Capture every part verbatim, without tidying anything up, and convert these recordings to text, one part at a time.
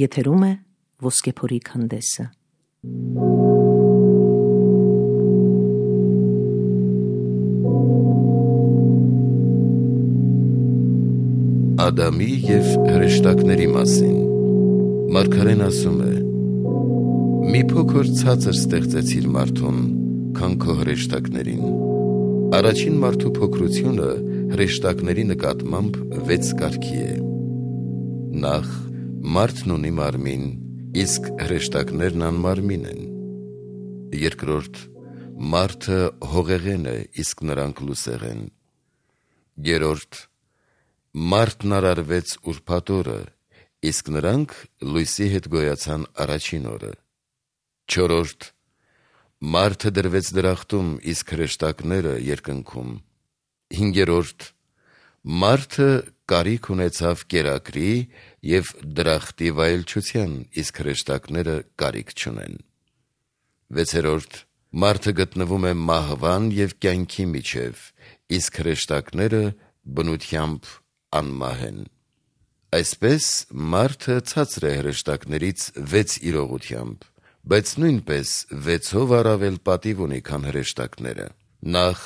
Եթերում է Ոսկեփորի քանդեսը։ Ադամի և հրեշտակների մասին Մարգարեն ասում է. «Մի փոքր ցածր ստեղծեցիր մարդուն, քան քո հրեշտակներին»։ Առաջին մարդու փոքրությունը հրեշտակների նկատմամբ վեց կարգի է։ Նախ, մարդն ունի մարմին, իսկ հրեշտակներն անմարմին են։ Երկրորդ, մարդը հողեղեն է, իսկ նրանք լուսեղեն։ Երրորդ, մարդն արարվեց ուրբաթ օրը, իսկ նրանք լույսի հետ գոյացան առաջին օրը։ Չորրորդ, մարդը դրվեց դրախտում, իսկ հրեշտակները երկնքում։ Հինգերորդ, մարդը կարիք ունեցավ կերակրի և դրախտի վայելչության, իսկ հրեշտակները կարիք չունեն։ Վեցերորդ, մարդը գտնվում է մահվան և կյանքի միջև, իսկ հրեշտակները բնությամբ անմահ են։ Այսպես մարդը ցածր է հրեշտակներից վեց իրողությամբ, բայց նույնպես վեցով առավել պատիվ ունի, քան հրեշտակները։ Նախ,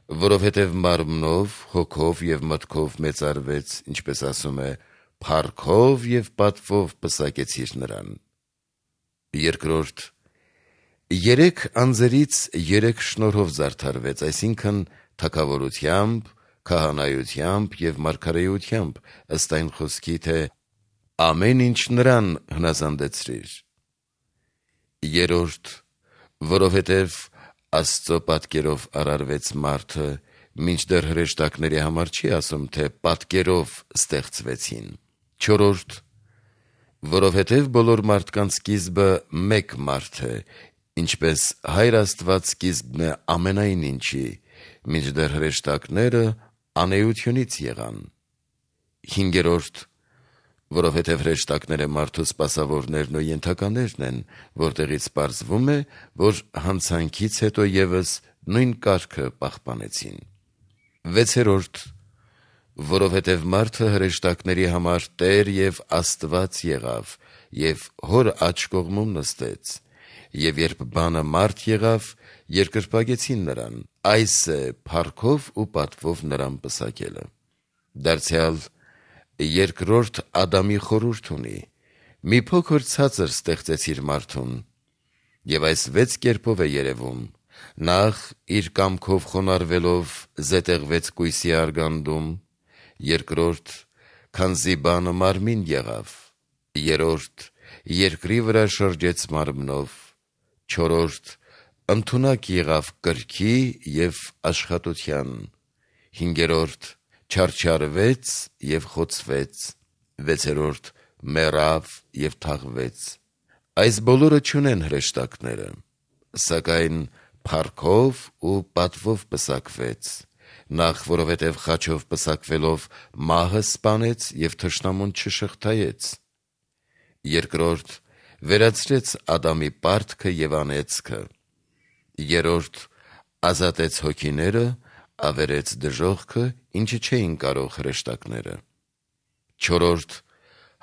որովհետև մարմնով, հոգով և մտքով մեծարվեց, ինչպես ասում է, փառքով և պատվով պսակեցիր նրան։ Երկրորդ, երեք անձերից երեք շնորհով զարդարվեց, այսինքն թագավորությամբ, քահանայությամբ և մարգարեությամբ, ըստ այն խոսքի, թե «ամեն ինչ նրան հնազանդեցրիր»։ Երրորդ, որովհետև Աստծո պատկերով արարվեց մարդը, մինչդեռ հրեշտակների համար չի ասում, թե պատկերով ստեղծվեցին։ Չորրորդ, որովհետև բոլոր մարդկանց սկիզբը մեկ մարդ է, ինչպես Հայր Աստված սկիզբն է ամենայն ինչի, մինչդեռ հրեշտակները անէությունից եղան։ Հինգերորդ, որովհետև հրեշտակները մարդու սպասավորներն ու ենթականերն են, որտեղից պարզվում է, որ հանցանքից հետո ևս նույն կարգը պահպանեցին։ Վեցերորդ, որովհետև մարդը հրեշտակների համար Տեր և Աստված եղավ և Հոր աջ կողմում նստեց, և երբ բանը մարդ եղավ, երկրպագեցին նրան, այս է փառքով ու պատվով նրան պսակելը։ Դարձյալ երկրորդ Ադամի խորհուրդ ունի. «Մի փոքր ցածր ստեղծեցիր մարդուն», և այս վեց կերպով է երևում. նախ, իր կամքով խոնարհվելով զետեղվեց կույսի արգանդում, երկրորդ, քանզի բանը մարմին եղավ, երրորդ, երկրի վրա շրջեց մարմնով, չորրորդ, ընդունակ եղավ կրքի և աշխատության, հինգերորդ, չարչարվեց և խոցվեց, վեցերորդ, մեռավ և թաղվեց։ Այս բոլորը չունեն հրեշտակները, սակայն փառքով ու պատվով պսակվեց, նախ, որովհետև խաչով պսակվելով մահը սպանեց և թշնամուն չշղթայեց, երկրորդ, վերացրեց Ադամի պարտքը և անեծքը, երրորդ, ազատեց հոգիները, ավերեց դժոխքը, ինչը չէին կարող հրեշտակները, չորրորդ,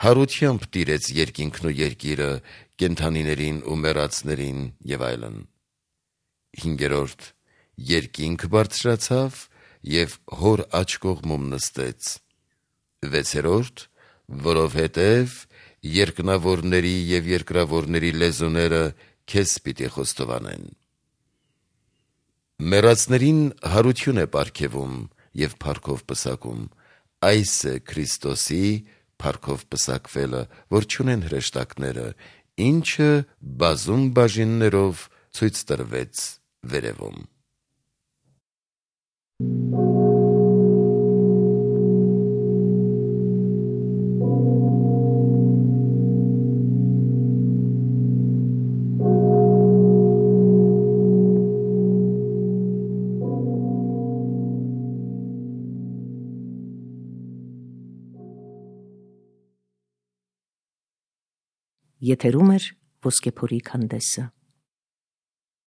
հարությամբ տիրեց երկինքն ու երկիրը, կենդանիներին ու մեռածներին և այլն, հինգերորդ, երկինք բարձրացավ և Հոր աջ կողմում նստեց, վեցերորդ, որովհետև երկնավորների և երկրավորների լեզուները քեզ պիտի խոստովանեն։ Մեռածներին հարություն է պարգևում և փառքով պսակում, այս է Քրիստոսի փառքով պսակվելը, որ չունեն հրեշտակները, ինչը բազում բաժիններով ցույց տրվեց վերևում։ Եթերում է Ոսկեփորի քանդեսը։